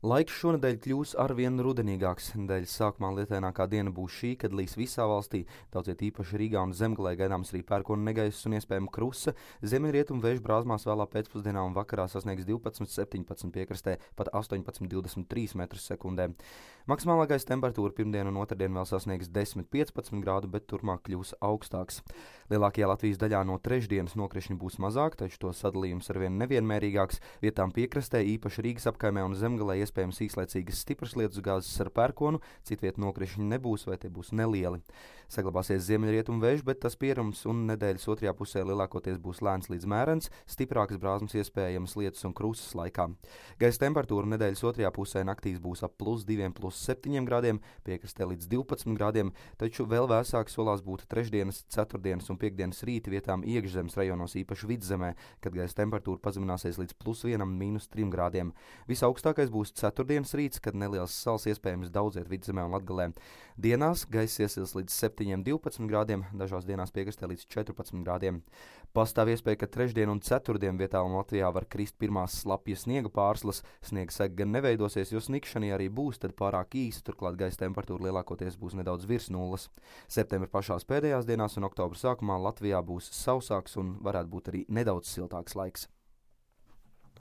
Laiks šonedēļ kļūs arvien rudenīgāks. Nedēļas sākumā lietainākā diena būs šī, kad līs visā valstī. Daudziet īpaši Rīgā un Zemgalē gaidāms arī pērkona negaiss un iespējama krusa. Ziemeļrietumu vēju brāzmās vēlā pēcpusdienā un vakarā sasniegs 12–17 piekrastē, pat 18–23 m/sekundē. Maksimālā gaisa temperatūra pirmdien un otrdien vēl sasniegs 10–15 grādu, bet turpmāk kļūs augstāks. Lielākajā Latvijas daļā no trešdienas nokrišņi būs mazāk, taču to sadalījums arvien nevienmērīgāks. Vietām piekrastē, īpaši Rīgas apkaimē un Zemgalē, iespējams īslaicīgas stipras lietusgāzes ar pērkonu, citviet nokrišņi nebūs vai tie būs nelieli. Saglabāsies ziemeļrietumu vējš, bet tas pierums un nedēļas otrajā pusē lielākoties būs lēns līdz mērens, stiprākas brāzmas iespējamas lietus un krusas laikā. Gaisa temperatūra nedēļas otrajā pusē naktīs būs ap +2–7 grādiem, piekrastē līdz 12 grādiem, taču vēl vēsāk solās būt trešdienas, ceturtdienas un piekdienas rīti vietām iekšzemes rajonos, īpaši vidzemē, kad gaisa temperatūra pazemināsies līdz +1–3 grādiem. Visaugstākais būs ceturtdienas rīts, kad neliels sals iespējams daudziet vidzemē un Latgalē. Dienās gaiss iesils līdz 7–12 grādiem, dažās dienās piekrastē līdz 14 grādiem. Pastāv iespēja, ka trešdien un ceturtdien vietā un Latvijā var krist pirmās slapjas sniega pārslas. Sniega sega gan neveidosies, jo snikšana arī būs, tad pārāk īsa, turklāt gaisa temperatūra lielākoties būs nedaudz virs nulles. Septembra pašās pēdējās dienās un oktobra sākumā Latvijā būs sausāks un varētu būt arī nedaudz siltāks laiks.